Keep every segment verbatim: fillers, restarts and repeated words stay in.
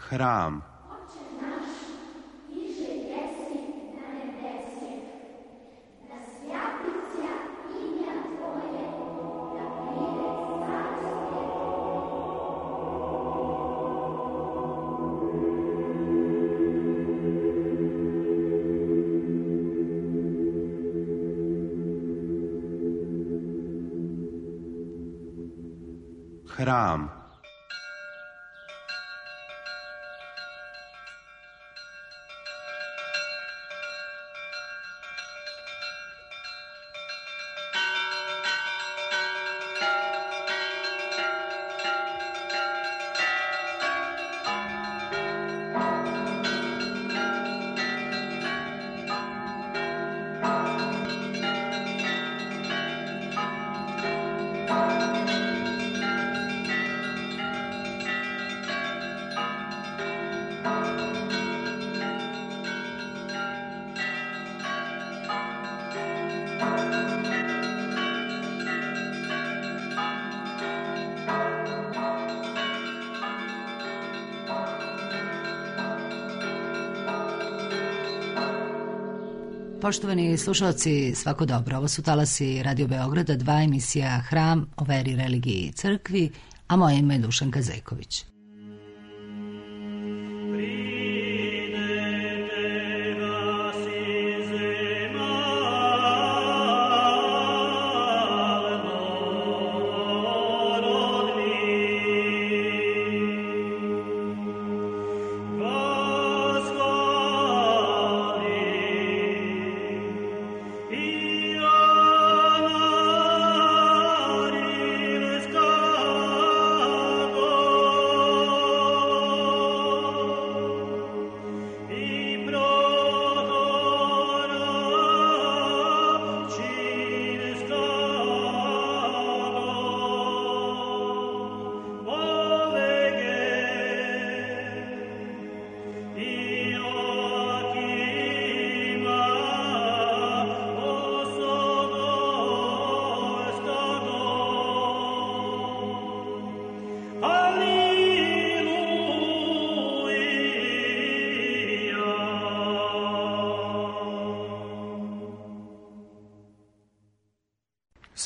Hram. Hram. Poštovani slušalci, svako dobro. Ovo su talasi Radio Beograda, dva emisija Hram o veri, religiji i crkvi, a moje ime je Dušanka Zejković.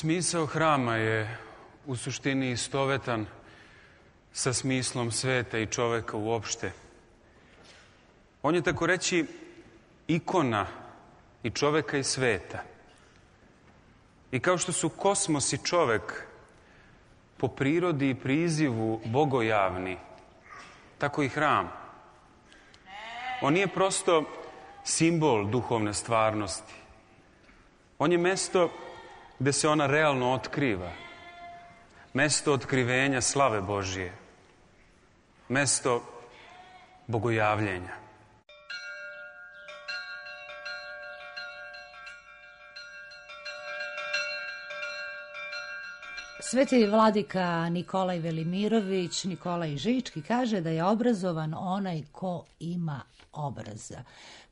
Smisao hrama je u suštini istovetan sa smislom sveta i čoveka uopšte. On je tako reći ikona i čoveka i sveta. I kao što su kosmos i čovek po prirodi i prizivu bogojavni, tako i hram. On nije prosto simbol duhovne stvarnosti. On je mesto gde se ona realno otkriva. Mesto otkrivenja slave Božije. Mesto bogojavljenja. Sveti vladika Nikolaj Velimirović, Nikolaj Žički, kaže da je obrazovan onaj ko ima obraza.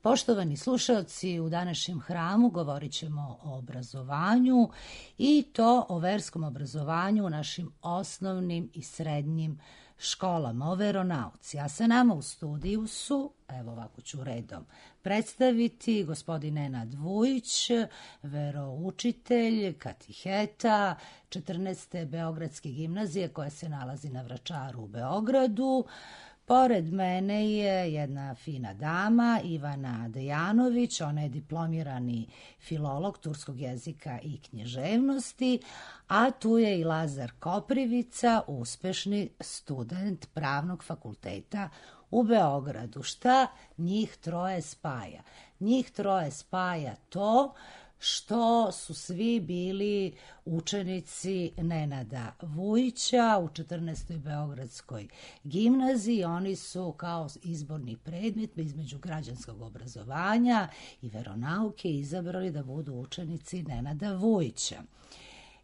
Poštovani slušalci, u današnjem hramu govorit ćemo o obrazovanju i to o verskom obrazovanju u našim osnovnim i srednjim školama, o veronauci. A sa nama u studiju su, evo ovako ću redom predstaviti, gospodin Nenad Vujić, veroučitelj, katiheta četrnaeste Beogradske gimnazije koja se nalazi na Vračaru u Beogradu. Pored mene je jedna fina dama, Ivana Dejanović, ona je diplomirani filolog turskog jezika i književnosti, a tu je i Lazar Koprivica, uspešni student Pravnog fakulteta u Beogradu. Šta njih troje spaja? Njih troje spaja to što su svi bili učenici Nenada Vujića u četrnaestoj Beogradskoj gimnaziji. Oni su kao izborni predmet između građanskog obrazovanja i veronauke izabrali da budu učenici Nenada Vujića.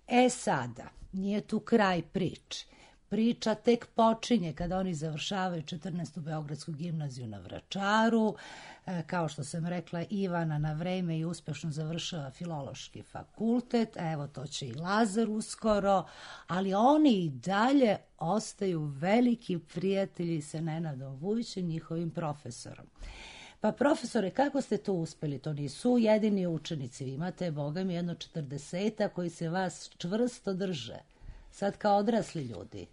E sada, nije tu kraj priče. priča tek počinje kada oni završavaju četrnaestu Beogradsku gimnaziju na Vračaru. Kao što sam rekla, Ivana na vreme i uspešno završava Filološki fakultet, evo to će i Lazar uskoro, ali oni i dalje ostaju veliki prijatelji sa Nenadom Vujićem, njihovim profesorom. Pa profesore, kako ste to uspeli? To nisu jedini učenici, vi imate, boga mi, jedno četrdeseta koji se vas čvrsto drže, sad kao odrasli ljudi.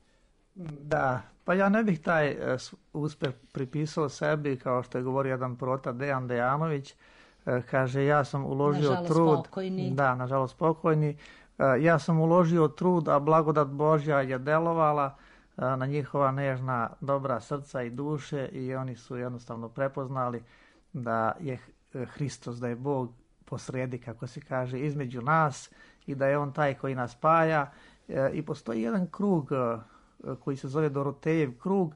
Da, pa ja ne bih taj uh, uspeh pripisao sebi, kao što je govorio jedan prota, Dejan Dejanović, uh, kaže, ja sam uložio nažalost trud. Pokojni. Da, nažalost pokojni. Uh, ja sam uložio trud, a blagodat Božja je delovala uh, na njihova nežna, dobra srca i duše i oni su jednostavno prepoznali da je Hristos, da je Bog posredi, kako se kaže, između nas i da je On taj koji nas spaja. Uh, I postoji jedan krug uh, koji se zove Dorotejev krug.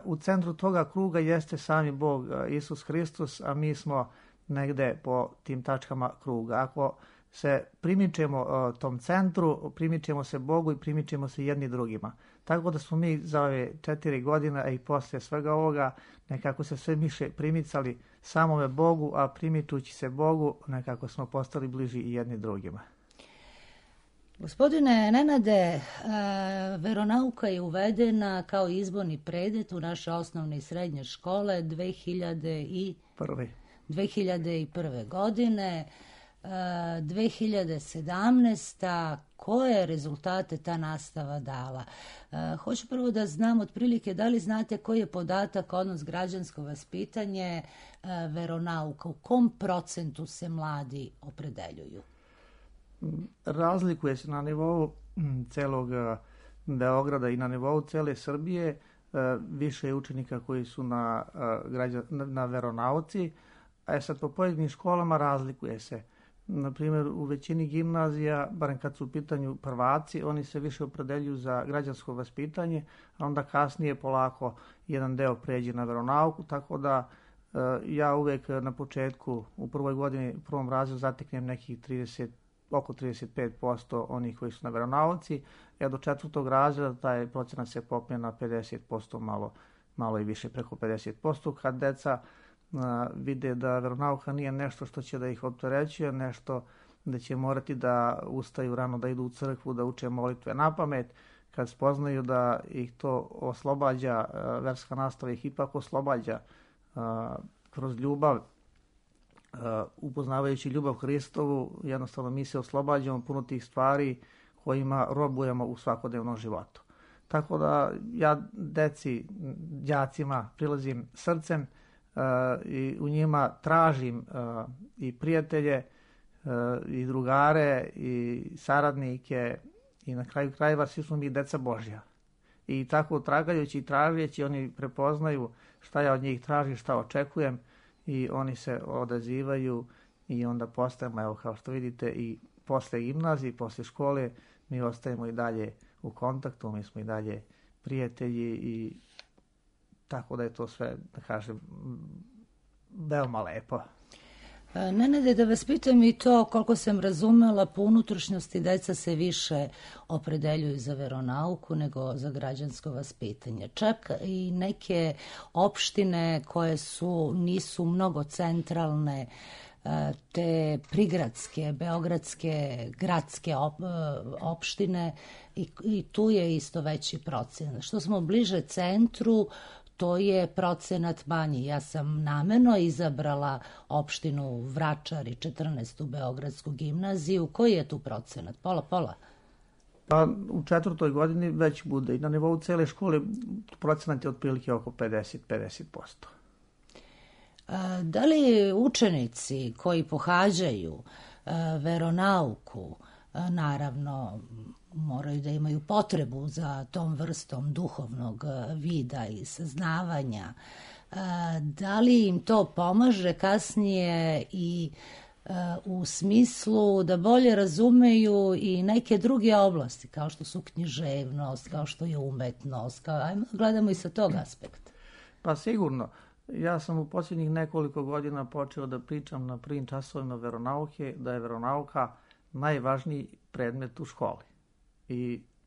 U centru toga kruga jeste sami Bog, Isus Hristos, a mi smo negde po tim tačkama kruga. Ako se primičemo tom centru, primičemo se Bogu i primičemo se jedni drugima. Tako da smo mi za ove četiri godine, a i poslije svega ovoga, nekako se sve više primicali samome Bogu, a primičući se Bogu, nekako smo postali bliži i jedni drugima. Gospodine Nenade, veronauka je uvedena kao izborni predet u naše osnovne i srednje škole dve hiljade prve. godine. dve hiljade sedamnaeste. Koje rezultate ta nastava dala? Hoću prvo da znam otprilike da li znate koji je podatak, odnos građansko vaspitanje, veronauka, u kom procentu se mladi opredeljuju? Razlikuje se na nivou celog Beograda i na nivou cele Srbije. Više je učenika koji su na, na veronauci, a sad po pojedinim školama razlikuje se. Na primjer, u većini gimnazija, barem kad su u pitanju prvaci, oni se više opredeljuju za građansko vaspitanje, a onda kasnije polako jedan deo pređe na veronauku, tako da ja uvek na početku, u prvoj godini, u prvom razredu zateknem nekih trideset oko trideset pet posto onih koji su na veronauci, a do četvrtog razreda taj procenat se popne na pedeset posto, malo, malo i više, preko pedeset posto, kad deca a, vide da veronauka nije nešto što će da ih opterećuje, nešto da će morati da ustaju rano, da idu u crkvu, da uče molitve na pamet, kad spoznaju da ih to oslobađa, a, verska nastava ih ipak oslobađa a, kroz ljubav, Uh, upoznavajući ljubav Hristovu, jednostavno mi se oslobađamo puno tih stvari kojima robujemo u svakodnevnom životu. Tako da ja deci, đacima prilazim srcem uh, i u njima tražim uh, i prijatelje uh, i drugare i saradnike i na kraju krajeva svi smo mi deca Božja. I tako tragajući i tražeći oni prepoznaju šta ja od njih tražim, šta očekujem, i oni se odazivaju i onda postajemo, evo kao što vidite, i posle gimnazije, posle škole, mi ostajemo i dalje u kontaktu, mi smo i dalje prijatelji i tako da je to sve, da kažem, veoma lepo. Nenade, da vas pitam i to, koliko sam razumela, po unutrašnjosti deca se više opredeljuju za veronauku nego za građansko vaspitanje. Čak i neke opštine koje su, nisu mnogo centralne, te prigradske, beogradske, gradske op, opštine i, i tu je isto veći procenat. Što smo bliže centru, to je procenat manji. Ja sam namerno izabrala opštinu Vračar i četrnaestu Beogradsku gimnaziju. Koji je tu procenat? Pola, pola? Pa u četvrtoj godini već bude i na nivou cele škole procenat je otprilike oko pedeset do pedeset posto. Da li učenici koji pohađaju veronauku, naravno, moraju da imaju potrebu za tom vrstom duhovnog vida i saznavanja, da li im to pomaže kasnije i u smislu da bolje razumeju i neke druge oblasti, kao što su književnost, kao što je umetnost, kao, ajmo gledamo i sa tog aspekta. Pa sigurno. Ja sam u posljednjih nekoliko godina počeo da pričam na prvim časovima veronauke, da je veronauka najvažniji predmet u školi. I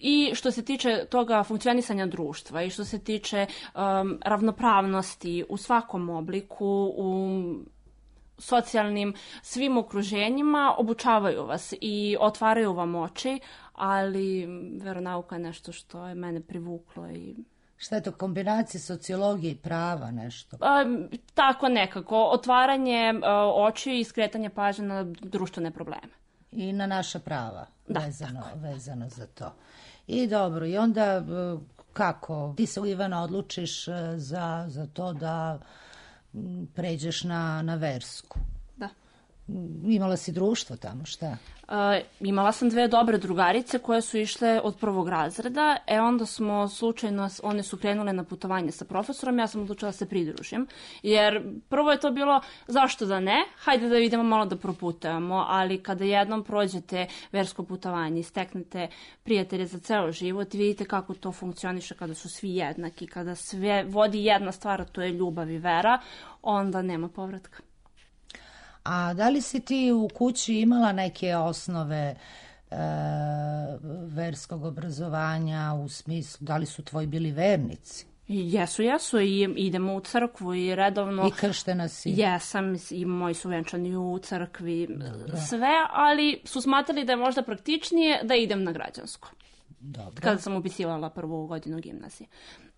i što se tiče toga funkcionisanja društva i što se tiče um, ravnopravnosti u svakom obliku, u socijalnim svim okruženjima, obučavaju vas i otvaraju vam oči, ali veronauka je nešto što je mene privuklo. I šta je to, kombinacija sociologije i prava, nešto? A, tako nekako, otvaranje a, oči i skretanje pažnje na društvene probleme. I na naša prava, da, vezano, vezano za to. I dobro, i onda kako? Ti se, Ivana, odlučiš za, za to da pređeš na, na versku. Da. Imala si društvo tamo, šta? Uh, imala sam dve dobre drugarice koje su išle od prvog razreda, e onda smo slučajno, one su krenule na putovanje sa profesorom, ja sam odlučila da se pridružim, jer prvo je to bilo zašto da ne, hajde da idemo malo da proputujemo, ali kada jednom prođete versko putovanje i steknete prijatelje za ceo život, vidite kako to funkcioniše kada su svi jednaki, kada sve vodi jedna stvar, a to je ljubav i vera, onda nema povratka. A da li si ti u kući imala neke osnove e, verskog obrazovanja, u smislu, da li su tvoji bili vernici? Jesu, jesu, i idemo u crkvu i redovno... I krštena si? Jesam, i moji su venčani u crkvi, dobro, sve, ali su smatrali da je možda praktičnije da idem na građansko. Dobro. Kada sam upisivala prvu godinu gimnazije.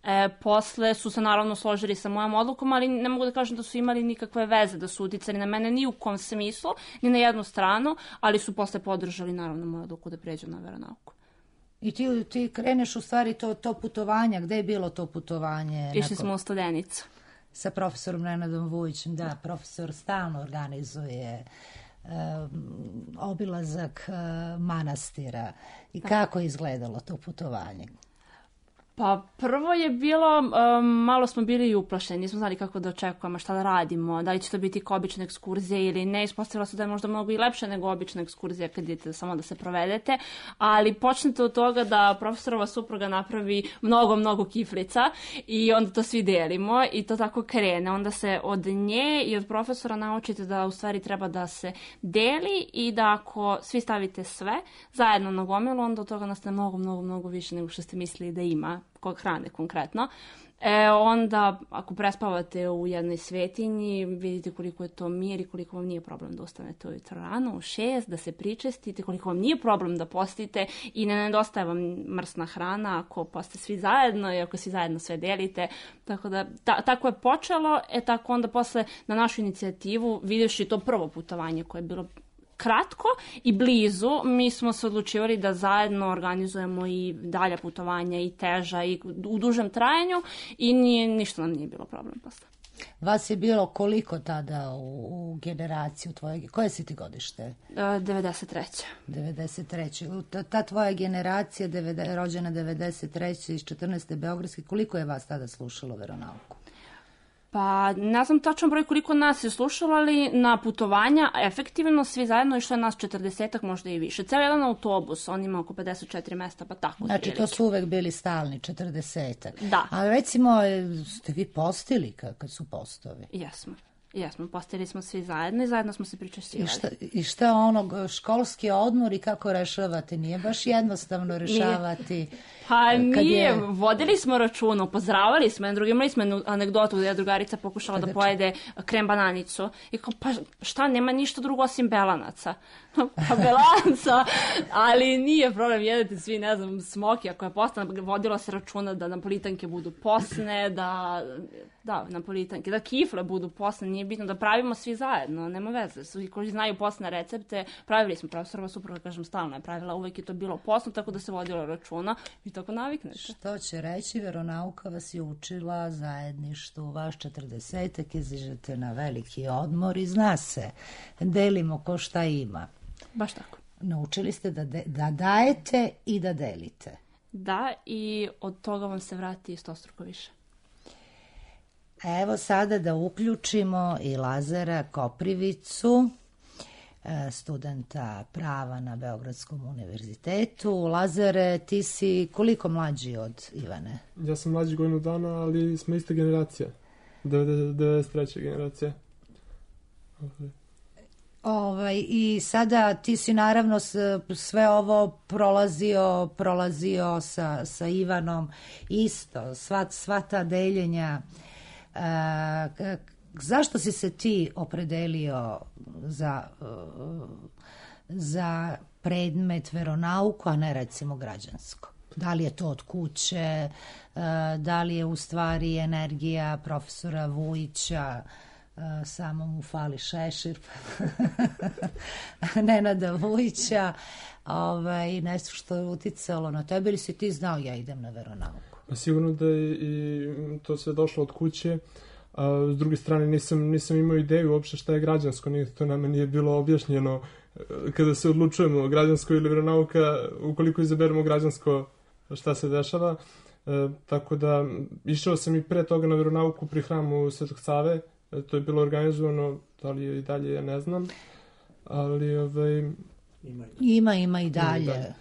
E, posle su se naravno složili sa mojom odlukom, ali ne mogu da kažem da su imali nikakve veze, da su uticali na mene ni u kom smislu, ni na jednu stranu, ali su posle podržali naravno moju odluku da pređem na veronauku. I ti, ti kreneš u stvari to, to putovanje, gde je bilo to putovanje? Išli smo u Studenicu. Sa profesorom Nenadom Vujićem, da, profesor stalno organizuje um, obilazak uh, manastira. I kako je izgledalo to putovanje? Pa prvo je bilo, um, malo smo bili i uplašeni, nismo znali kako da očekujemo, šta da radimo, da li će to biti kao obična ekskurzija ili ne, ispostavilo se da je možda mnogo i lepše nego obična ekskurzija kad idete samo da se provedete, ali počnete od toga da profesorova supruga napravi mnogo, mnogo kiflica i onda to svi delimo i to tako krene, onda se od nje i od profesora naučite da u stvari treba da se deli i da ako svi stavite sve zajedno na gomilu, onda od toga nastane mnogo, mnogo, mnogo više nego što ste mislili da ima, kod hrane konkretno. E, onda, ako prespavate u jednoj svetinji, vidite koliko je to mir i koliko vam nije problem da ustanete ujutro rano, u šest, da se pričestite, koliko vam nije problem da postite i ne nedostaje vam mrsna hrana ako poste svi zajedno i ako svi zajedno sve delite. Tako da, ta, tako je počelo, e tako onda posle na našu inicijativu, vidjevši to prvo putovanje koje je bilo kratko i blizu, mi smo se odlučivali da zajedno organizujemo i dalja putovanja i teža i u dužem trajanju i nije, ništa nam nije bilo problem posle. Vas je bilo koliko tada u, u generaciju tvoje, koje si ti godište? devedeset treće. devedeset treće. Ta, ta tvoja generacija devede, rođena devedeset treće iz četrnaeste Beogradske, koliko je vas tada slušalo veronauku? Pa ne znam tačan broj koliko nas je slušalo, ali na putovanja efektivno svi zajedno išlo je nas četrdesetak, možda i više. Ceo jedan autobus, on ima oko pedeset četiri mesta, pa tako. Znači to su uvek bili stalni, četrdesetak. Da. A recimo, ste vi postili kad su postovi? Jesmo. Jesmo, postili smo svi zajedno i zajedno smo se pričešćivali. I šta, i šta onog školski odmor i kako rešavate? Nije baš jednostavno rešavati. Nije. Pa nije, je... vodili smo računa, upozoravali smo, jedan drugi, imali smo anegdotu da je drugarica pokušala da pojede krem bananicu i kao, pa šta, nema ništa drugo osim belanaca. Pa belanca, ali nije problem, jedete svi, ne znam, smoki, ako je postane, vodilo se računa da napolitanke budu posne, da, da, napolitanke, da kifle budu posne, nije bitno, da pravimo svi zajedno, nema veze, svi koji znaju posne recepte, pravili smo, profesorova supruga, kažem, stalno je pravila, uvek je to bilo posno, tako da se vodilo računa i tako naviknete. Što će reći, veronauka vas je učila zajedništvu, vaš četrdesetak, izađete na veliki odmor i zna se, delimo ko šta ima. Baš tako. Naučili ste da, de, da dajete i da delite. Da, i od toga vam se vrati stostruko više. Evo sada da uključimo i Lazara Koprivicu, studenta prava na Beogradskom univerzitetu. Lazare, ti si koliko mlađi od Ivane? Ja sam mlađi godinu dana, ali smo ista generacija. devedeset treća generacija. Ovaj, i sada ti si naravno sve ovo prolazio, prolazio sa, sa Ivanom isto, sva, sva ta deljenja. E, zašto si se ti opredelio za, za predmet veronauku, a ne recimo građansko? Da li je to od kuće, da li je u stvari energija profesora Vujića, samo mu fali šešir, Nenada Vujića, ovaj, nešto što je uticalo na tebe, ili si ti znao ja idem na veronauku? Sigurno da je i to sve došlo od kuće, a s druge strane nisam, nisam imao ideju uopšte šta je građansko, to nama nije bilo objašnjeno kada se odlučujemo građansko ili veronauka, ukoliko izaberemo građansko šta se dešava, e, tako da išao sam i pre toga na veronauku pri hramu Svetog Save, e, to je bilo organizovano, da li je i dalje, ja ne znam, ali ovaj... Ima, ima, ima i dalje. Ima i dalje.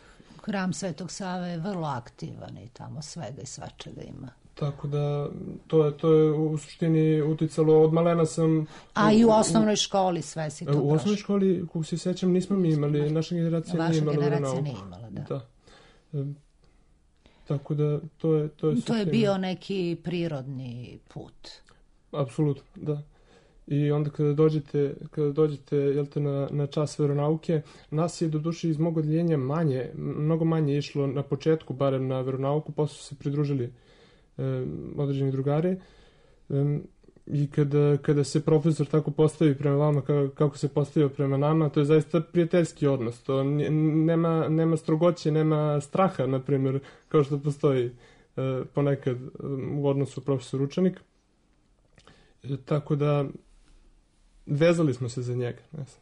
Hram Svetog Save je vrlo aktivan i tamo svega i svačega ima. Tako da, to je, to je u suštini uticalo, od malena sam... A i u osnovnoj školi sve si to prošlo? U osnovnoj školi, kako se sećam, nismo mi imali, naša generacija nije imala veronauku. Vaša generacija nije imala, da. Da. E, tako da, to je... To je, to je bio neki prirodni put. Apsolutno, da. I onda kada dođete, kada dođete jel te, na, na čas veronauke, nas je do duše iz mog odjeljenja manje, mnogo manje išlo na početku, barem na veronauku, posle su se pridružili e, određeni drugari. E, I kada, kada se profesor tako postavi prema vama kako, kako se postavio prema nama, to je zaista prijateljski odnos. To nema, nema strogoće, nema straha, na primjer, kao što postoji e, ponekad u odnosu profesor-učenik. E, tako da vezali smo se za njega. Ne znam.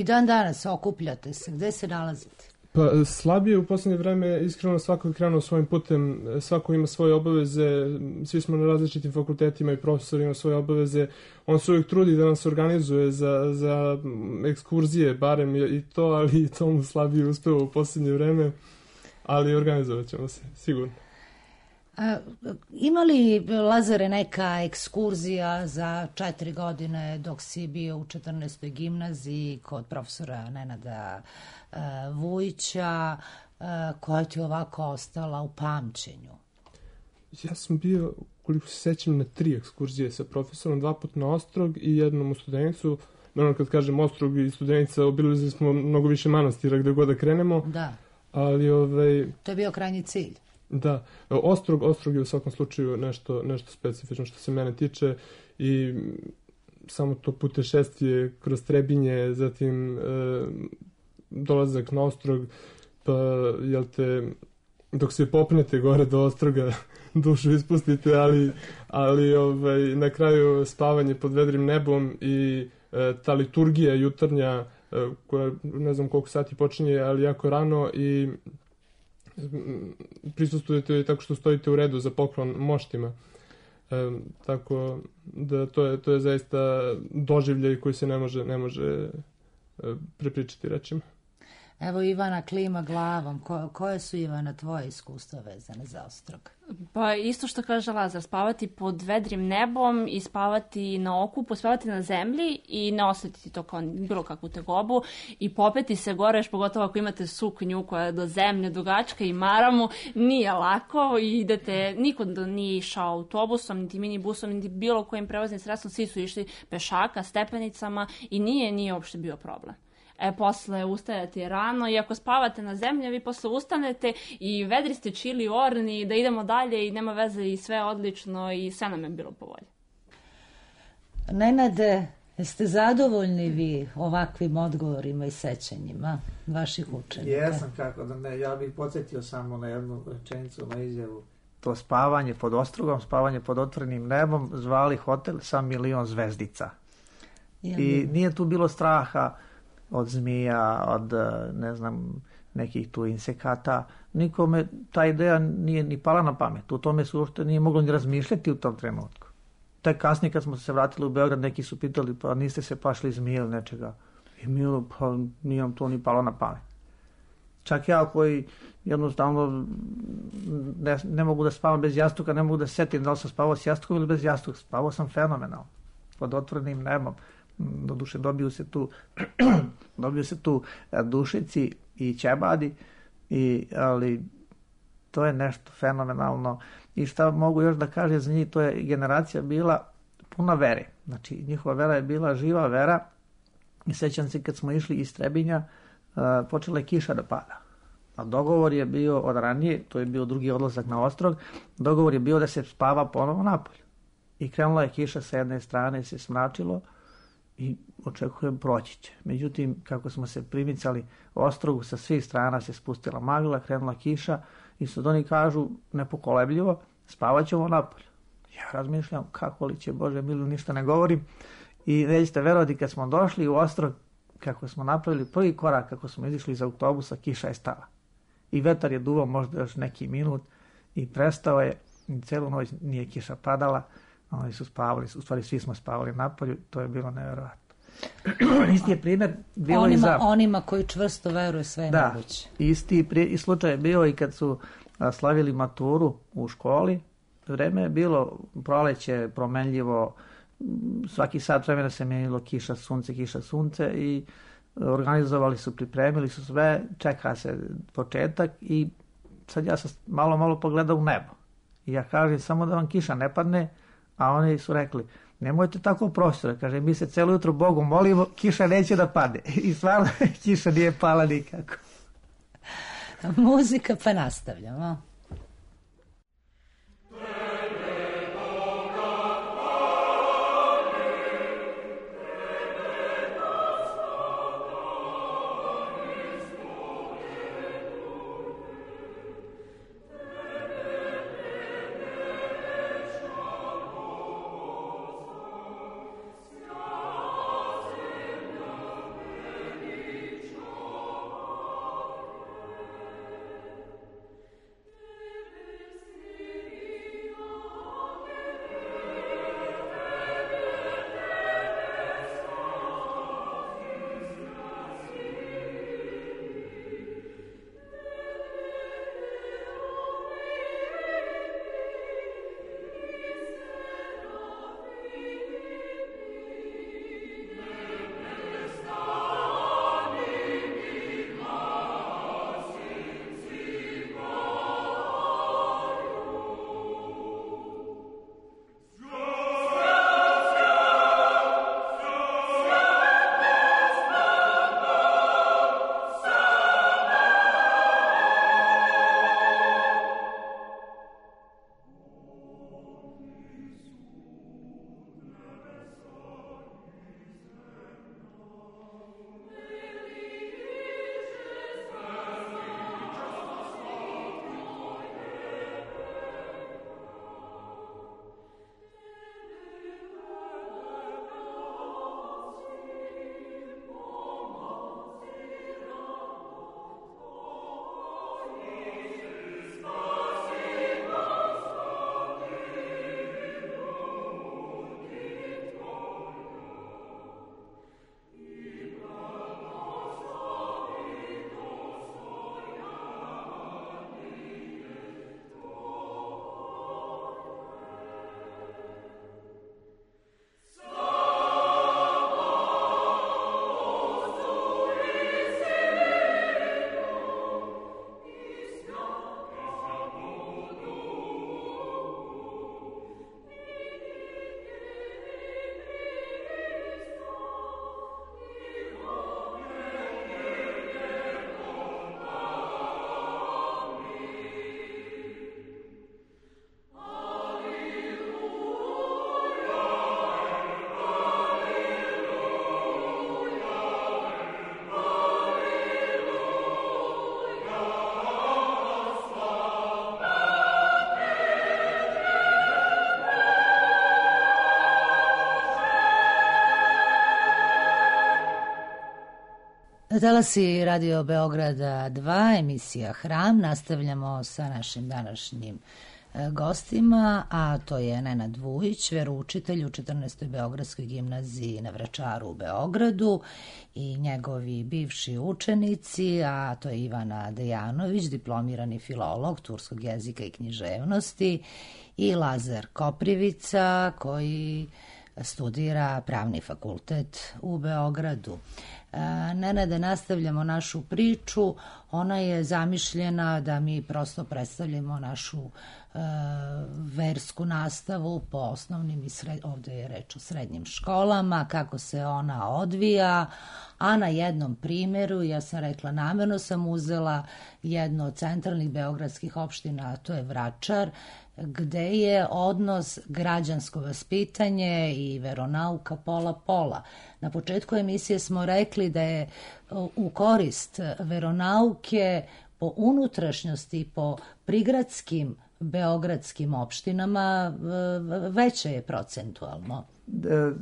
I dan danas okupljate se. Gde se nalazite? Pa slabije u posljednje vreme, iskreno svako je krenuo svojim putem, svako ima svoje obaveze, svi smo na različitim fakultetima i profesori ima svoje obaveze. On se uvijek trudi da nas organizuje za, za ekskurzije, barem i to, ali to mu slabije uspeva u posljednje vreme, ali organizovat ćemo se, sigurno. A, ima li, Lazare, neka ekskurzija za četiri godine dok si bio u četrnaestoj gimnaziji kod profesora Nenada uh, Vujića, uh, koja ti je ovako ostala u pamćenju? Ja sam bio, koliko se sećam, na tri ekskurzije sa profesorom, dva put na Ostrog i jednom u Studenicu. Naravno, kad kažem Ostrog i Studenica, obilazili smo mnogo više manastira gde god da krenemo. Da. Ali, ovaj... To je bio krajnji cilj. Da, Ostrog, Ostrog je u svakom slučaju nešto, nešto specifično što se mene tiče i samo to putešestvije kroz Trebinje, zatim e, dolazak na Ostrog, pa jel te, dok se popnete gore do Ostroga, dušu ispustite, ali, ali ovaj, na kraju spavanje pod vedrim nebom i e, ta liturgija jutarnja, e, koja ne znam koliko sati počinje, ali jako rano i prisustujete tako što stojite u redu za poklon moštima. E, tako da to je, to je zaista doživljaj koji se ne može, ne može e, prepričati, rečima. Evo Ivana klima glavom. Ko, koje su, Ivana, tvoje iskustva vezane za Ostrog? Pa isto što kaže Lazar, spavati pod vedrim nebom i spavati na okupu, spavati na zemlji i ne osetiti to kao bilo kakvu tegobu i popeti se gore, još pogotovo ako imate suknju koja je do zemlje dugačka i maramu, nije lako i idete, niko nije išao autobusom, niti minibusom, niti bilo kojim prevoznim sredstvom, svi su išli pešaka, stepenicama i nije, nije uopšte bio problem. E, posle ustajate rano i ako spavate na zemlji, vi posle ustanete i vedri ste čili orni, da idemo dalje i nema veze i sve odlično i sve nam je bilo po volji. Nenade, jeste zadovoljni vi ovakvim odgovorima i sećanjima vaših učenika? Jesam, kako da ne. Ja bih podsjetio samo na jednu rečenicu, na izjavu. To spavanje pod Ostrogom, spavanje pod otvorenim nebom, zvali hotel sa milion zvezdica. Jel? I nije tu bilo straha od zmija, od, ne znam, nekih tu insekata. Nikome ta ideja nije ni pala na pamet. U tome se uopšte nije moglo ni razmišljati u tom trenutku. Tek kasnije kad smo se vratili u Beograd, neki su pitali, pa niste se pašli zmije ili nečega. I mi, pa nije vam to ni palo na pamet. Čak ja koji jednostavno ne, ne mogu da spavam bez jastuka, ne mogu da setim da li sam spavao s jastukom ili bez jastuka. Spavao sam fenomenalno, pod otvorenim nebom. doduše dobiju se tu dobiju se tu dušici i ćebadi, i, ali to je nešto fenomenalno. I šta mogu još da kažem za njih, to je generacija bila puna vere. Znači, njihova vera je bila živa vera i sećam se kad smo išli iz Trebinja, uh, počela je kiša da pada. A dogovor je bio od ranije, to je bio drugi odlazak na ostrog, dogovor je bio da se spava ponovo napolje. I krenula je kiša sa jedne strane, se smračilo i očekujem proći će. Međutim, kako smo se primicali ostrogu, sa svih strana se spustila magla, krenula kiša i sad oni kažu nepokolebljivo, spavat ćemo napolje. Ja razmišljam kako li će, Bože mili, ništa ne govorim. I nećete verovati, kad smo došli u ostrog, kako smo napravili prvi korak, kako smo izišli iz autobusa, kiša je stala. I vetar je duvao možda još neki minut i prestao je, i celu noć nije kiša padala, oni su spavali, u stvari svi smo spavali napolju, to je bilo nevjerovatno. Isti je primjer bilo onima, i za... Onima koji čvrsto veruju sve je da, moguće. Isti prije, i slučaj je bio i kad su a, slavili maturu u školi. Vreme je bilo proleće, promenljivo, svaki sat vremena se menjalo kiša, sunce, kiša, sunce i organizovali su, pripremili su sve, čeka se početak i sad ja sam malo, malo pogledao u nebo. I ja kažem samo da vam kiša ne padne, a oni su rekli, nemojte tako, profesore, kaže, mi se celo jutro Bogu molimo, kiša neće da pade. I stvarno kiša nije pala nikako. Muzika, pa nastavljamo. Talasi Radio Beograda dva, emisija Hram. Nastavljamo sa našim današnjim gostima, a to je Nenad Vujić, veroučitelj u četrnaestoj Beogradskoj gimnaziji na Vračaru u Beogradu, i njegovi bivši učenici, a to je Ivana Dejanović, diplomirani filolog turskog jezika i književnosti, i Lazar Koprivica, koji studira pravni fakultet u Beogradu. Nenade, nastavljamo našu priču. Ona je zamišljena da mi prosto predstavljamo našu e, versku nastavu po osnovnim i sred, ovde je reč o srednjim školama, kako se ona odvija, a na jednom primjeru, ja sam rekla, namerno sam uzela jednu od centralnih beogradskih opština, a to je Vračar, gde je odnos građansko vaspitanje i veronauka pola-pola. Na početku emisije smo rekli da je u korist veronauke po unutrašnjosti, po prigradskim beogradskim opštinama veće je procentualno.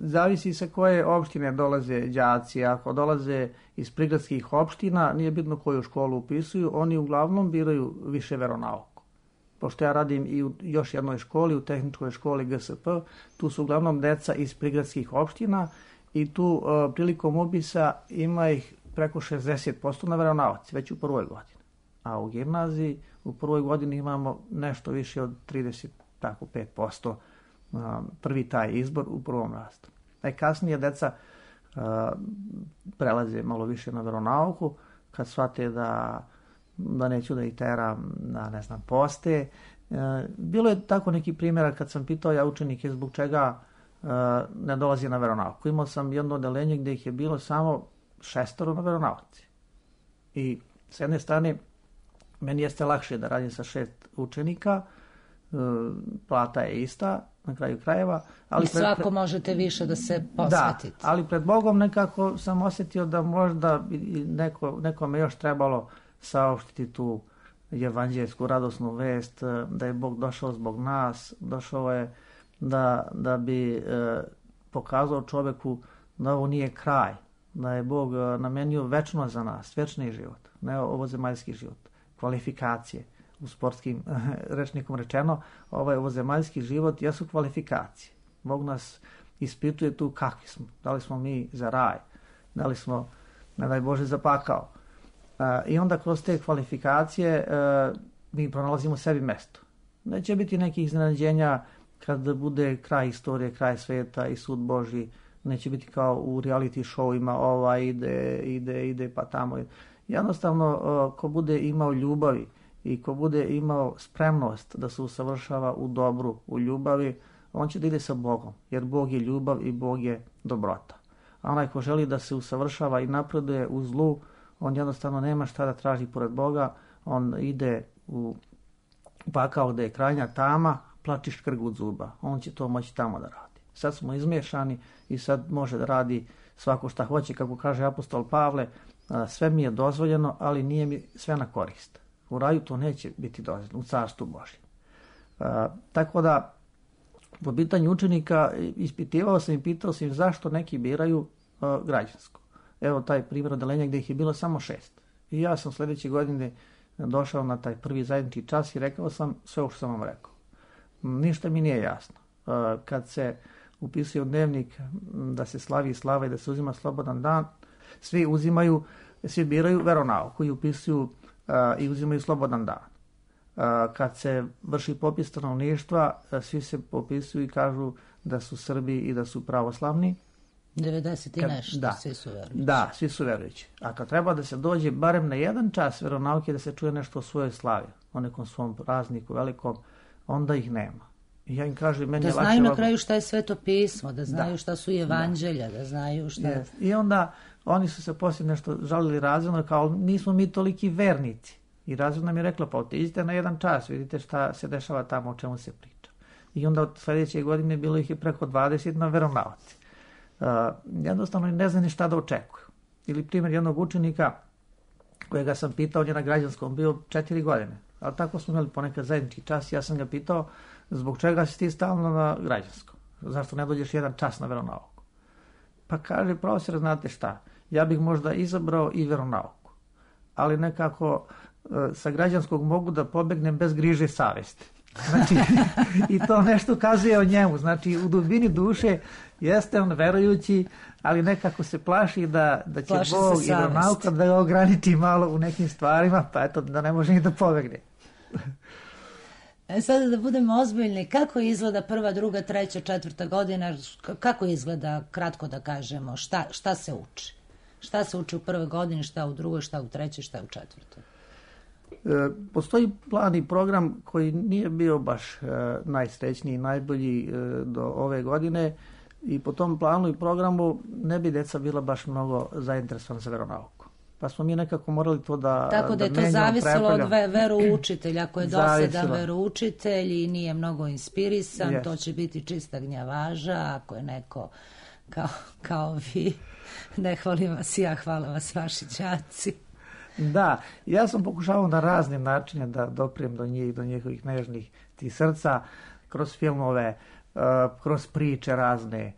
Zavisi sa koje opštine dolaze đaci. Ako dolaze iz prigradskih opština, nije bitno koju školu upisuju, oni uglavnom biraju više veronauku. Pošto ja radim i u još jednoj školi, u tehničkoj školi G S P, tu su uglavnom deca iz prigradskih opština i tu uh, prilikom upisa ima ih preko šezdeset posto na veronauci, već u prvoj godini. A u gimnaziji u prvoj godini imamo nešto više od trideset pet posto uh, prvi taj izbor u prvom rastu. Najkasnije deca uh, prelaze malo više na veronauku, kad shvate da da neću da ih teram na, ne znam, poste. E, bilo je tako neki primjera kad sam pitao ja učenike zbog čega e, ne dolazi na veronauku. Imao sam jedno odelenje gdje ih je bilo samo šestoro na veronauci. I s jedne strane, meni jeste lakše da radim sa šest učenika, e, plata je ista, na kraju krajeva. Ali I svako pred, pred, možete više da se posvetite. Da, ali pred Bogom nekako sam osjetio da možda neko, nekome još trebalo saopštiti tu evanđelsku radosnu vest, da je Bog došao zbog nas, došao je da, da bi e, pokazao čoveku da ovo nije kraj, da je Bog namenio večno za nas, večni život, ne ovozemaljski život, kvalifikacije. U sportskim rečnikom rečeno, ovaj ovozemaljski život jesu kvalifikacije. Bog nas ispituje tu kakvi smo, da li smo mi za raj, da li smo, ne daj Bože, za pakao. Uh, I onda kroz te kvalifikacije uh, mi pronalazimo sebi mesto. Neće biti nekih iznenađenja kad bude kraj istorije, kraj sveta i sud Božji. Neće biti kao u reality showima, ova ide, ide, ide pa tamo. Jednostavno, uh, ko bude imao ljubavi i ko bude imao spremnost da se usavršava u dobru, u ljubavi, on će da ide sa Bogom, jer Bog je ljubav i Bog je dobrota. A onaj ko želi da se usavršava i napreduje u zlu, on jednostavno nema šta da traži pored Boga, on ide u pakao gde je krajnja tama, plači škrg od zuba. On će to moći tamo da radi. Sad smo izmiješani i sad može da radi svako šta hoće, kako kaže apostol Pavle, sve mi je dozvoljeno, ali nije mi sve na korist. U raju to neće biti dozvoljeno, u carstvu Božjem. Tako da, po pitanju učenika, ispitivao sam i pitao sam zašto neki biraju a, građansko. Evo taj primjer odelenja gdje ih je bilo samo šest. I ja sam sljedeće godine došao na taj prvi zajednički čas i rekao sam sve ovo što sam vam rekao. Ništa mi nije jasno. Kad se upisuje u dnevnik da se slavi slava i da se uzima slobodan dan, svi uzimaju, svi biraju veronauku i upisuju i uzimaju slobodan dan. Kad se vrši popis stanovništva, svi se popisuju i kažu da su Srbi i da su pravoslavni. devedeset i nešto, da, svi su verujući. Da, svi su verujući. A kad treba da se dođe barem na jedan čas veronauke da se čuje nešto o svojoj slavi, o nekom svom prazniku velikom, onda ih nema. I ja im kažem, meni da je lakše... Da znaju na ovako... kraju šta je Sveto pismo, da znaju da. šta su evanđelja, da, da znaju šta... Yes. I onda oni su se poslije nešto žalili razredno, kao nismo mi toliki vernici. I razredno nam je rekla, pa otiđite na jedan čas, vidite šta se dešava tamo, o čemu se priča. I onda od sljedeće godine bilo ih je preko dvadeset na veronauci. Uh, jednostavno ne zna ni šta da očekuju. Ili primjer jednog učenika kojega sam pitao, on je na građanskom bio četiri godine, ali tako smo imali ponekad zajednički čas. Ja sam ga pitao zbog čega si ti stalno na građanskom, zašto ne dođeš jedan čas na veronauku. Pa kaže, profesor, znate šta, ja bih možda izabrao i veronauku, ali nekako uh, sa građanskog mogu da pobegnem bez griže savesti. Znači, i to nešto kazuje o njemu. Znači, u dubini duše jeste on verujući, ali nekako se plaši da, da će plaši Bog i veronauka da ga ograniči malo u nekim stvarima, pa eto, da ne može ni da pobegne. E sada da budemo ozbiljni, kako izgleda prva, druga, treća, četvrta godina, kako izgleda, kratko da kažemo, šta, šta se uči? Šta se uči u prvoj godini, šta u drugoj, šta u trećoj, šta u četvrtoj? E, postoji plan i program koji nije bio baš e, najsrećniji i najbolji e, do ove godine i po tom planu i programu ne bi deca bila baš mnogo zainteresovana za veronauku. Pa smo mi nekako morali to da Tako da, da je to zavisilo od ve, veroučitelja. Ako je dosadan veroučitelj i nije mnogo inspirisan, yes. to će biti čista gnjavaža. Ako je neko kao, kao vi, ne hvalim vas ja, hvala vas vaši đaci. Da, ja sam pokušavao na razne načine da doprijem do njih, do njihovih nežnih tih srca, kroz filmove, uh, kroz priče razne,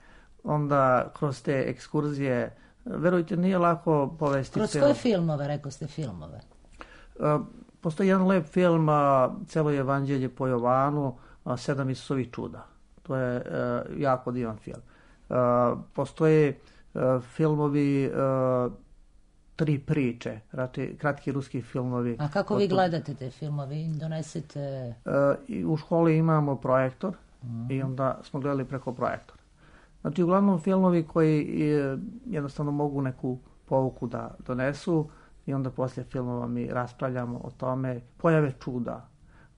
onda kroz te ekskurzije. Verujte, nije lako povesti. Kroz celo... koje filmove, rekao ste filmove? Uh, postoji jedan lep film, uh, Celo evanđelje po Jovanu, uh, Sedam Isusovih čuda. To je uh, jako divan film. Uh, postoje uh, filmovi uh, Tri priče, rati, kratki ruski filmovi. A kako vi gledate te filmove? Donesete... Uh, u školi imamo projektor uh-huh. i onda smo gledali preko projektora. Znači, uglavnom filmovi koji je, jednostavno mogu neku pouku da donesu i onda poslije filmova mi raspravljamo o tome, pojave čuda.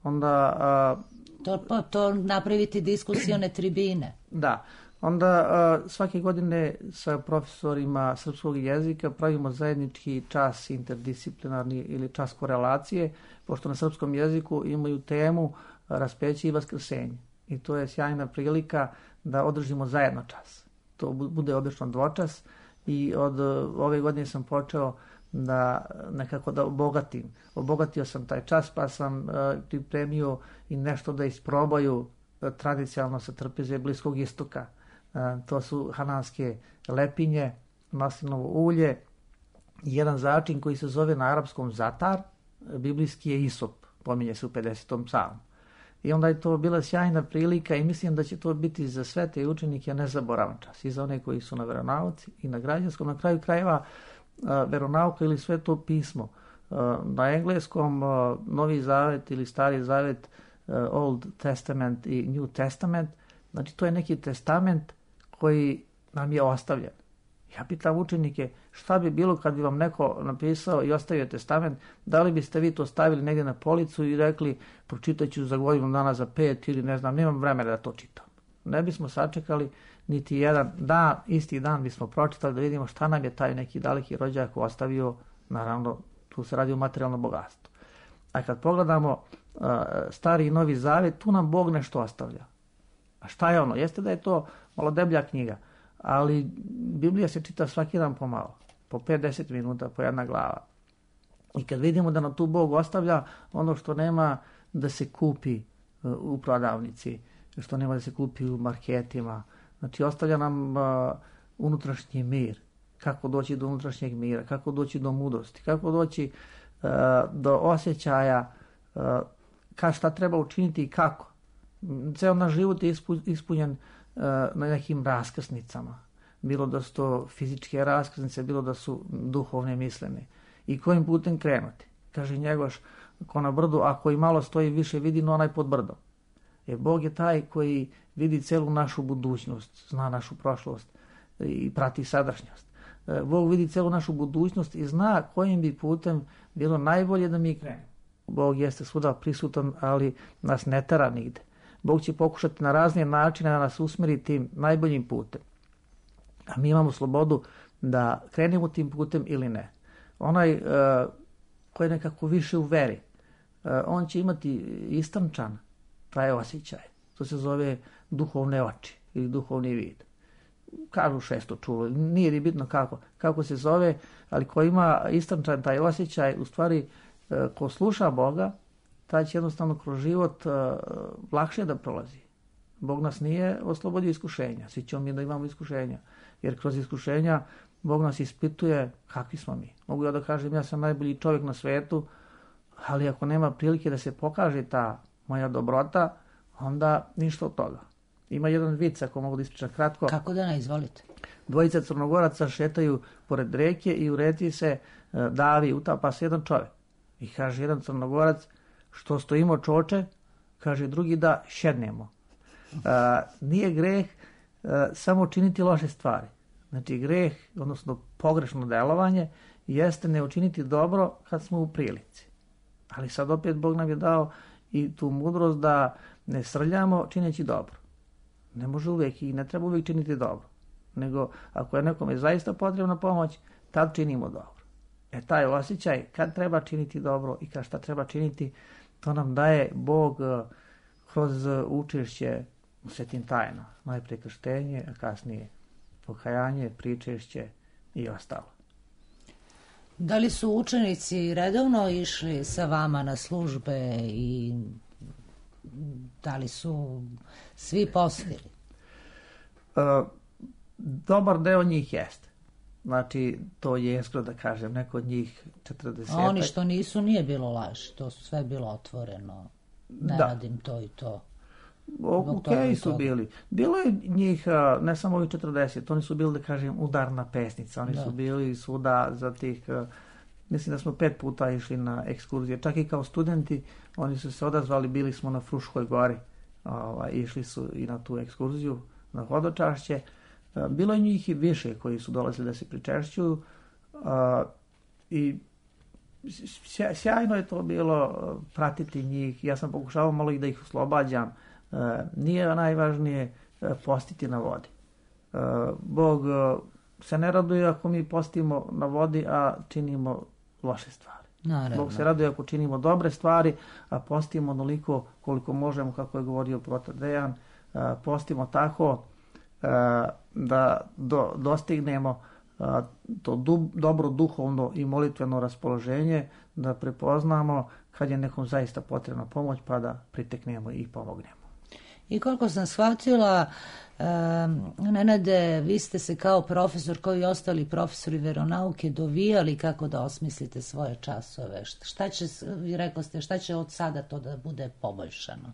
Onda... Uh, to, to napraviti diskusione tribine. Da. Onda uh, svake godine sa profesorima srpskog jezika pravimo zajednički čas interdisciplinarni ili čas korelacije, pošto na srpskom jeziku imaju temu raspeće i vaskrsenje. I to je sjajna prilika da održimo zajedno čas. To bude obično dvočas i od ove godine sam počeo da nekako da obogatim. Obogatio sam taj čas pa sam uh, pripremio i nešto da isprobaju uh, tradicionalno sa trpeze Bliskog istoka. Uh, to su hananske lepinje, maslinovo ulje i jedan začin koji se zove na arapskom zatar, biblijski je isop, pominje se u pedesetom psalmu. I onda je to bila sjajna prilika i mislim da će to biti za sve te učenike nezaboravan čas. I za one koji su na veronauci i na građanskom. Na kraju krajeva uh, veronauka ili sveto pismo. Uh, na engleskom uh, Novi Zavet ili Stari Zavet, uh, Old Testament i New Testament. Znači to je neki testament koji nam je ostavljen. Ja pitam učenike šta bi bilo kad bi vam neko napisao i ostavio testament, da li biste vi to stavili negdje na policu i rekli pročitat ću za godinu dana, za pet ili ne znam, nemam vremena da to čitam. Ne bismo sačekali niti jedan dan, isti dan bismo pročitali da vidimo šta nam je taj neki daleki rođak ostavio, naravno tu se radi o materijalnom bogatstvu. A kad pogledamo uh, Stari i Novi Zavet, tu nam Bog nešto ostavlja. A šta je ono? Jeste da je to malo deblja knjiga, ali Biblija se čita svaki dan pomalo, po pet do deset minuta, po jedna glava. I kad vidimo da nam tu Bog ostavlja ono što nema da se kupi uh, u prodavnici, što nema da se kupi u marketima, znači ostavlja nam uh, unutrašnji mir, kako doći do unutrašnjeg mira, kako doći do mudrosti, kako doći uh, do osjećaja uh, ka šta treba učiniti i kako. Ceo naš život je ispunjen uh, na nekim raskrsnicama. Bilo da su to fizičke raskrsnice, bilo da su duhovne mislene. I kojim putem krenuti? Kaže Njegoš, ko na brdu, ako i malo stoji više vidi, no onaj pod brdom. Jer Bog je taj koji vidi celu našu budućnost, zna našu prošlost i prati sadašnjost. Bog vidi celu našu budućnost i zna kojim bi putem bilo najbolje da mi krenemo. Bog jeste svuda prisutan, ali nas ne tera nigde. Bog će pokušati na razne načine da nas usmeri tim najboljim putem. A mi imamo slobodu da krenemo tim putem ili ne. Onaj uh, koji je nekako više u veri, uh, on će imati istančan taj osjećaj. To se zove duhovne oči ili duhovni vid. Kažu šesto čulo, nije ni bitno kako, kako se zove, ali ko ima istančan taj osjećaj, u stvari uh, ko sluša Boga, taj će jednostavno kroz život uh, lakše da prolazi. Bog nas nije oslobodio iskušenja, svi ćemo mi da imamo iskušenja, jer kroz iskušenja Bog nas ispituje kakvi smo mi. Mogu ja da kažem ja sam najbolji čovjek na svetu, ali ako nema prilike da se pokaže ta moja dobrota, onda ništa od toga. Ima jedan vic, ako mogu da ispričam kratko. Kako da ne, izvolite. Dvojica Crnogoraca šetaju pored reke i u reci se uh, davi, utapa se jedan čovjek. I kaže jedan Crnogorac, što stojimo čoče, kaže drugi da šednemo. A, nije greh a, samo činiti loše stvari. Znači greh, odnosno pogrešno delovanje, jeste ne učiniti dobro kad smo u prilici. Ali sad opet Bog nam je dao i tu mudrost da ne srljamo čineći dobro. Ne može uvijek i ne treba uvijek činiti dobro. Nego ako je nekome zaista potrebna pomoć, tad činimo dobro. E taj osjećaj kad treba činiti dobro i kad šta treba činiti, to nam daje Bog kroz učešće u svetim tajnama. Najprije krštenje, a kasnije pokajanje, pričešće i ostalo. Da li su učenici redovno išli sa vama na službe i da li su svi postili? E, dobar deo njih jeste. Znači, to je jeskro da kažem, neko od njih četrdeset. A oni što nisu, nije bilo laž, to su sve bilo otvoreno. Ne da. Radim to i to. Ok su bili. Bilo je njih, ne samo ovih četrdeset, oni su bili, da kažem, udarna pesnica. Oni da. su bili svuda za tih, mislim da smo pet puta išli na ekskurzije. Čak i kao studenti, oni su se odazvali, bili smo na Fruškoj gori. Ova, išli su i na tu ekskurziju, na hodočašće. Bilo je njih i više koji su dolazili da se pričešćuju. I sjajno je to bilo pratiti njih. Ja sam pokušavao malo i da ih oslobađam. Nije najvažnije postiti na vodi. Bog se ne raduje ako mi postimo na vodi, a činimo loše stvari. Naravno. Bog se raduje ako činimo dobre stvari, a postimo onoliko koliko možemo, kako je govorio protar Dejan. Postimo tako da do, dostignemo to du, dobro duhovno i molitveno raspoloženje, da prepoznamo kad je nekom zaista potrebna pomoć, pa da priteknemo i pomognemo. I koliko sam shvatila, um, Nenade, vi ste se kao profesor, kao i ostali profesori veronauke, dovijali kako da osmislite svoje časove. Šta će, vi rekli ste, šta će od sada to da bude poboljšano?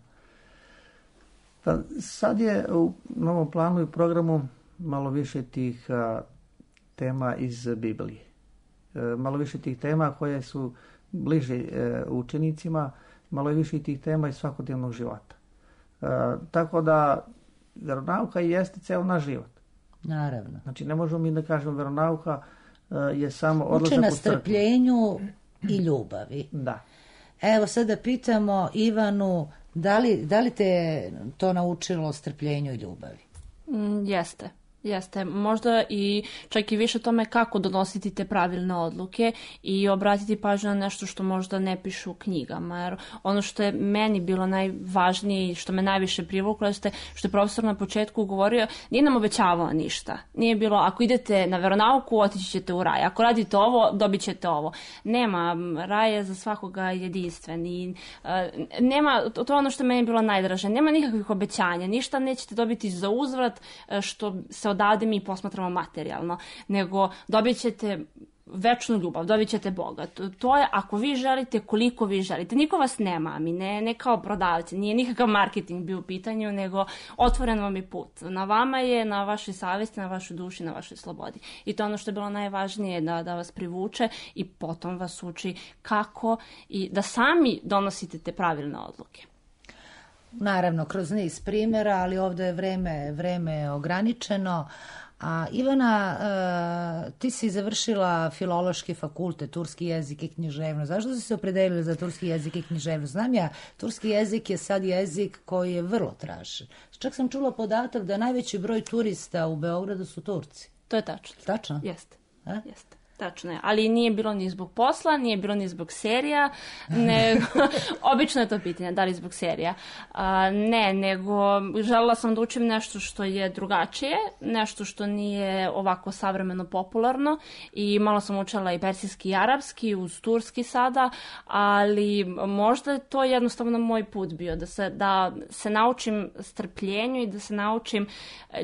Pa sad je u novom planu i programu malo više tih a, tema iz Biblije. E, malo više tih tema koje su bliže e, učenicima, malo više tih tema iz svakodnevnog života. E, tako da veronauka jeste ceo naš život. Naravno. Znači ne možemo mi da kažemo veronauka e, je samo odlazak u crkvu. Uči na strpljenju i ljubavi. Da. Evo sada pitamo Ivanu, da li, da li te to naučilo strpljenju i ljubavi? Mm, jeste. Jeste, možda i čak i više tome kako donositi te pravilne odluke i obratiti pažnju na nešto što možda ne piše u knjigama. Jer ono što je meni bilo najvažnije i što me najviše privuklo jeste što je profesor na početku govorio, nije nam obećavao ništa. Nije bilo, ako idete na veronauku, otići ćete u raj. Ako radite ovo, dobit ćete ovo. Nema, raj je za svakoga jedinstven i uh, nema, to je ono što je meni bilo najdraže, nema nikakvih obećanja, ništa nećete dobiti za uzvrat što se odavde mi posmatramo materijalno, nego dobit ćete večnu ljubav, dobit ćete Boga. To, to je ako vi želite, koliko vi želite. Niko vas ne mami, ne, ne kao prodavci, nije nikakav marketing bio u pitanju, nego otvoren vam je put. Na vama je, na vašoj savjesti, na vašoj duši, na vašoj slobodi. I to je ono što je bilo najvažnije, da, da vas privuče i potom vas uči kako i da sami donosite te pravilne odluke. Naravno, kroz niz primjera, ali ovdje je vreme, vreme ograničeno. A Ivana, uh, ti si završila filološki fakultet, turski jezik i književnost. Zašto si se opredelila za turski jezik i književnost? Znam ja, turski jezik je sad jezik koji je vrlo tražen. Čak sam čula podatak da najveći broj turista u Beogradu su Turci. To je tačno. Tačno? Jeste. A? Jeste. Tačno je, ali nije bilo ni zbog posla, nije bilo ni zbog serija, nego, obično je to pitanje, da li zbog serija. A, ne, nego želela sam da učim nešto što je drugačije, nešto što nije ovako savremeno popularno i malo sam učila i persijski i arapski, uz turski sada, ali možda je to jednostavno moj put bio, da se, da se naučim strpljenju i da se naučim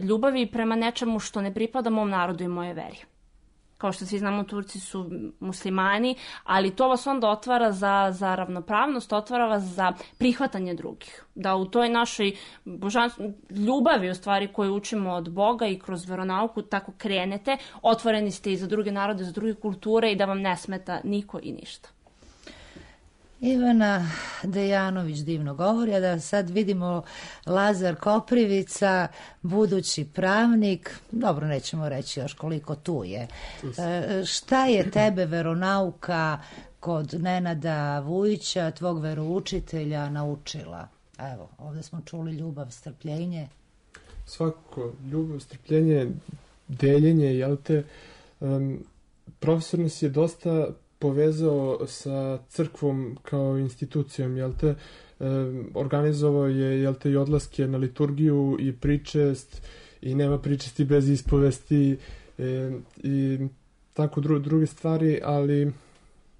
ljubavi prema nečemu što ne pripada mom narodu i moje veri. Kao što svi znamo, Turci su muslimani, ali to vas onda otvara za, za ravnopravnost, otvara vas za prihvatanje drugih. Da u toj našoj božanstv, ljubavi, u stvari, koju učimo od Boga i kroz veronauku, tako krenete, otvoreni ste i za druge narode, za druge kulture i da vam ne smeta niko i ništa. Ivana Dejanović divno govori, a da sad vidimo Lazar Koprivica, budući pravnik, dobro, nećemo reći još koliko tu je. E, šta je tebe veronauka kod Nenada Vujića, tvog veroučitelja, naučila? Evo, ovdje smo čuli ljubav, strpljenje. Svakako, ljubav, strpljenje, deljenje, jel te, um, profesor nas je dosta povezao sa crkvom kao institucijom, jel te, um, organizovao je, jel te, i odlaske na liturgiju i pričest, i nema pričesti bez ispovesti, um, i tako dru, druge stvari, ali...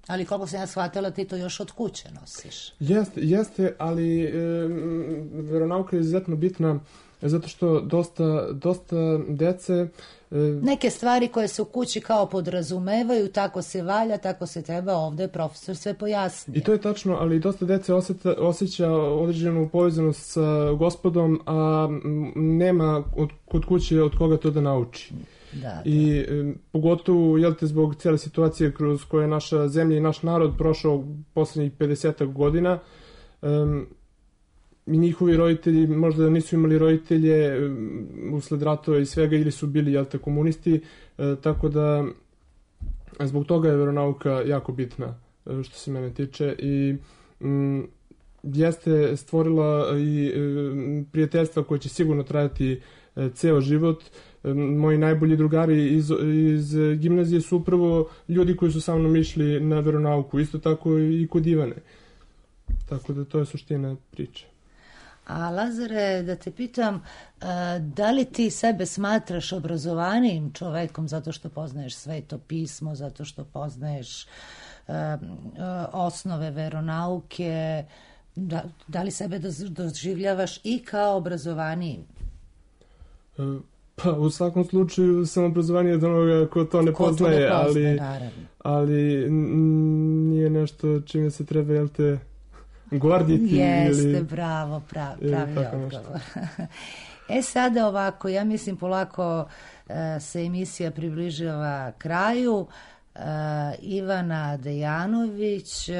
Ali koliko sam ja shvatila, ti to još od kuće nosiš. Jeste, jeste, ali e, veronauka je izuzetno bitna zato što dosta, dosta dece... E, Neke stvari koje se u kući kao podrazumevaju, tako se valja, tako se treba, ovdje profesor sve pojasnije. I to je tačno, ali dosta dece osjeta, osjeća određenu povezanost sa Gospodom, a nema od, kod kuće od koga to da nauči. Da, da. I e, pogotovo, jel te, zbog cijele situacije kroz koje je naša zemlja i naš narod prošao posljednjih pedesetak godina, e, i njihovi roditelji možda nisu imali roditelje um, usled ratova i svega, ili su bili, jel te, komunisti, e, tako da zbog toga je veronauka jako bitna, e, što se mene tiče, i um, jeste stvorila i e, prijateljstva koje će sigurno trajati e, ceo život. E, moji najbolji drugari iz, iz gimnazije su upravo ljudi koji su sa mnom išli na veronauku, isto tako i kod Ivane. Tako da to je suština priče. A Lazare, da te pitam, da li ti sebe smatraš obrazovanijim čovekom zato što poznaješ Sveto pismo, zato što poznaješ osnove veronauke, da, da li sebe doživljavaš i kao obrazovanijim? Pa, u svakom slučaju sam obrazovaniji od onoga ko to ne ko poznaje, to ne poznaje, ali, ali nije nešto čime se treba, jel te, gorditi. Jeste, ili, bravo, prav, pravi odgovor. E sada ovako, ja mislim polako uh, se emisija približava kraju. Uh, Ivana Dejanović, uh,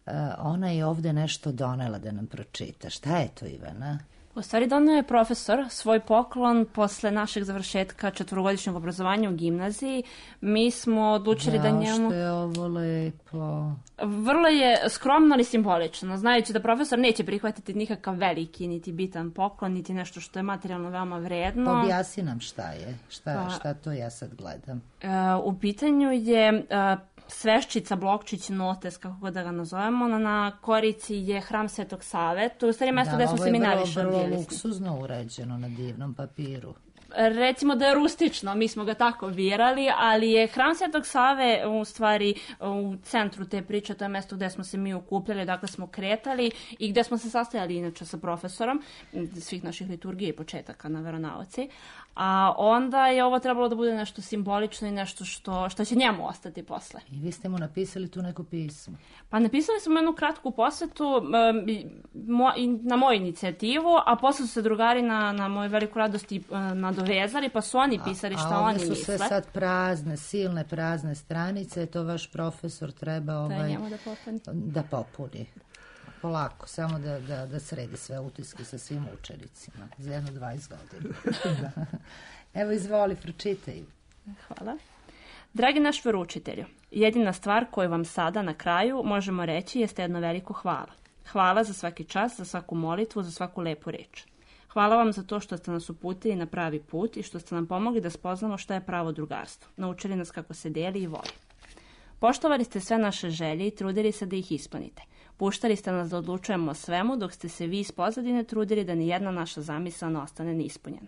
uh, ona je ovdje nešto donela da nam pročita. Šta je to, Ivana? U stvari donio je profesor svoj poklon posle našeg završetka četvorogodišnjeg obrazovanja u gimnaziji. Mi smo odlučili da, da njemu... što je ovo lepo. Vrlo je skromno ali simbolično, znajući da profesor neće prihvatiti nikakav veliki niti bitan poklon, niti nešto što je materijalno veoma vredno. Objasni nam šta je, šta, pa, šta to ja sad gledam. Uh, u pitanju je... Uh, sveščica, blokčić, notes, kako god da ga nazovemo, na, na korici je hram Svetog Save. To je u stvari mjesto da, gde smo seminariš. Da, ovo je vrlo, vrlo luksuzno uređeno na divnom papiru. Recimo da je rustično, mi smo ga tako birali, ali je hram Svetog Save u stvari u centru te priče, to je mjesto gde smo se mi okupljali, dakle smo kretali i gde smo se sastajali inače sa profesorom svih naših liturgija i početaka na veronauci. A onda je ovo trebalo da bude nešto simbolično i nešto što, što će njemu ostati posle. I vi ste mu napisali tu neko pismo? Pa napisali smo jednu kratku posvetu um, mo, na moju inicijativu, a posle su se drugari na, na moju veliku radost i uh, nadovezali, pa su oni pisali šta a, a oni misle. A ovdje su sve sad prazne, silne prazne stranice, to vaš profesor treba ovaj, da popuni. Da popuni. Polako, samo da, da, da sredi sve utiske sa svim učenicima za jedno dvadeset godina. Da. Evo, izvoli, pročitaj. Hvala. Dragi naš veroučitelju, jedina stvar koju vam sada na kraju možemo reći jeste jedno veliko hvala. Hvala za svaki čas, za svaku molitvu, za svaku lepu reč. Hvala vam za to što ste nas uputili na pravi put i što ste nam pomogli da spoznamo šta je pravo drugarstvo. Naučili nas kako se deli i voli. Poštovali ste sve naše želje i trudili se da ih ispunite. Puštali ste nas da odlučujemo o svemu, dok ste se vi iz pozadine trudili da ni jedna naša zamisla ne ostane neispunjena.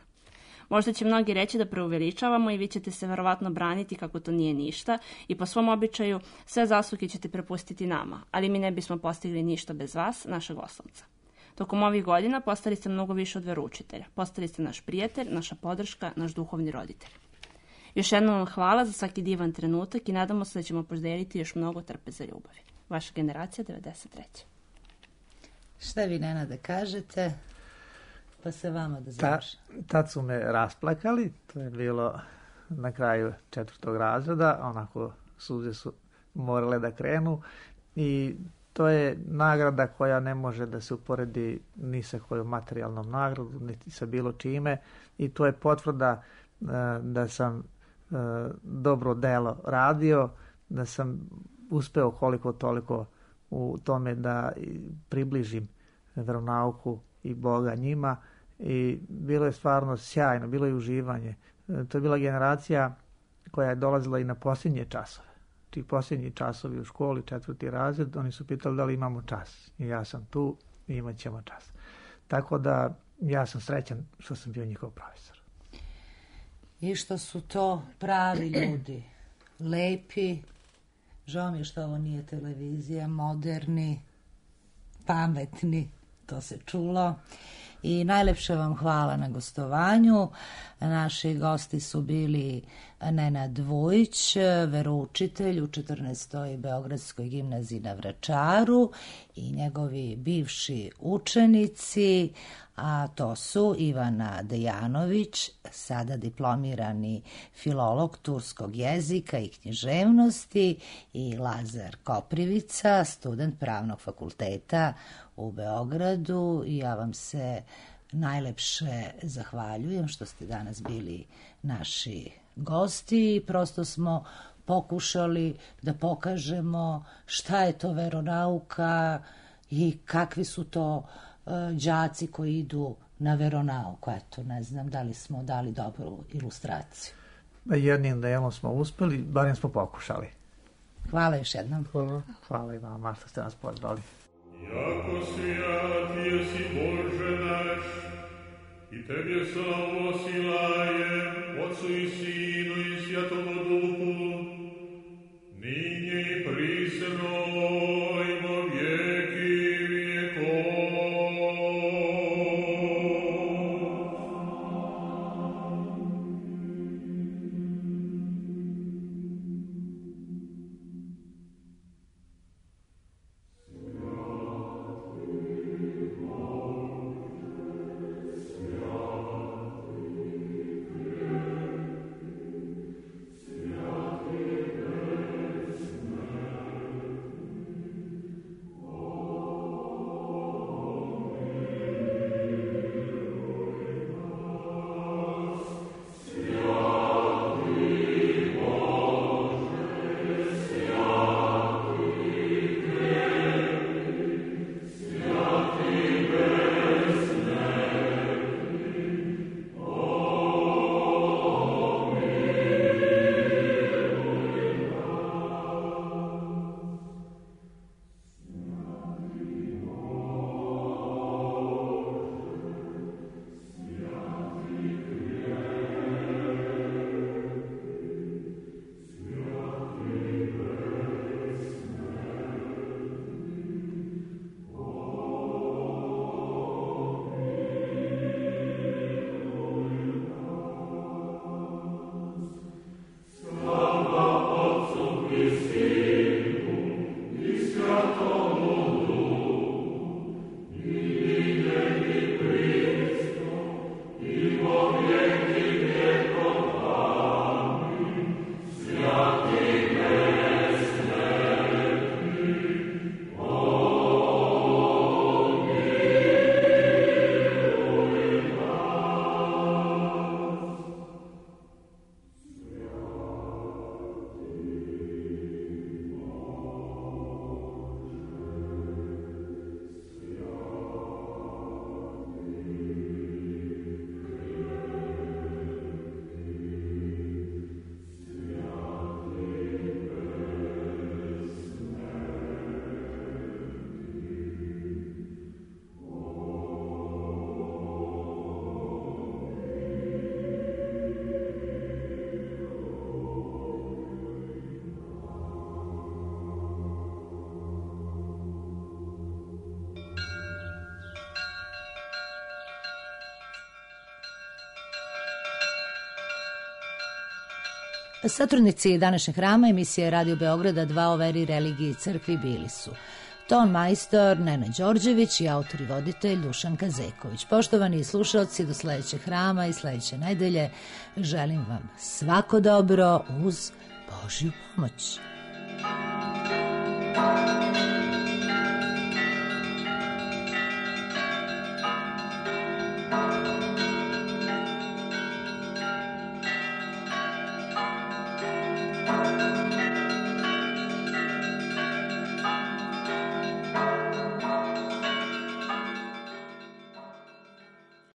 Možda će mnogi reći da preuveličavamo i vi ćete se verovatno braniti kako to nije ništa i po svom običaju sve zasluge ćete prepustiti nama, ali mi ne bismo postigli ništa bez vas, našeg oslonca. Tokom ovih godina postali ste mnogo više od veroučitelja. Postali ste naš prijatelj, naša podrška, naš duhovni roditelj. Još jednom vam hvala za svaki divan trenutak i nadamo se da ćemo podeliti još mnogo trpeza ljubavi. Vaša generacija devedeset treće. Šta vi, Nena, da kažete? Pa se vama da završi. Ta, tad su me rasplakali, to je bilo na kraju četvrtog razreda, onako suze su morale da krenu i to je nagrada koja ne može da se uporedi ni sa kojom materijalnom nagradom, niti sa bilo čime, i to je potvrda uh, da sam uh, dobro delo radio, da sam uspeo koliko toliko u tome da približim veronauku i Boga njima, i bilo je stvarno sjajno, bilo je uživanje. To je bila generacija koja je dolazila i na posljednje časove. Ti posljednji časovi u školi, četvrti razred, oni su pitali da li imamo čas. I ja sam tu i imat ćemo čas. Tako da ja sam srećan što sam bio njihov profesor. I što su to pravi ljudi, lepi, žao mi je što ovo nije televizija, moderni, pametni, to se čulo. I najlepše vam hvala na gostovanju. Naši gosti su bili Nenad Vujić, veroučitelj u četrnaestoj Beogradskoj gimnaziji na Vračaru, i njegovi bivši učenici, a to su Ivana Dejanović, sada diplomirani filolog turskog jezika i književnosti, i Lazar Koprivica, student Pravnog fakulteta u Beogradu. I ja vam se najlepše zahvaljujem što ste danas bili naši gosti. Prosto smo pokušali da pokažemo šta je to veronauka i kakvi su to uh, đaci koji idu na veronauku. Eto, ne znam da li smo dali dobru ilustraciju. Jednim delom smo uspeli, barem smo pokušali. Hvala još jednom. Hvala. Hvala i vama što ste nas pozvali. Jako svijat jesi Bože naš, i Tebe slavu silajem, Otcu i Sinu i Svjatomu Duhu, ninje i prisno i vo vijeki vijekov. Satrudnici današnjeg hrama emisije Radio Beograda dva o veri, religiji i crkvi bili su ton majstor Nenad Đorđević i autor i voditelj Dušan Kazeković. Poštovani slušalci, do sledećeg hrama i sledeće nedelje želim vam svako dobro uz Božju pomoć.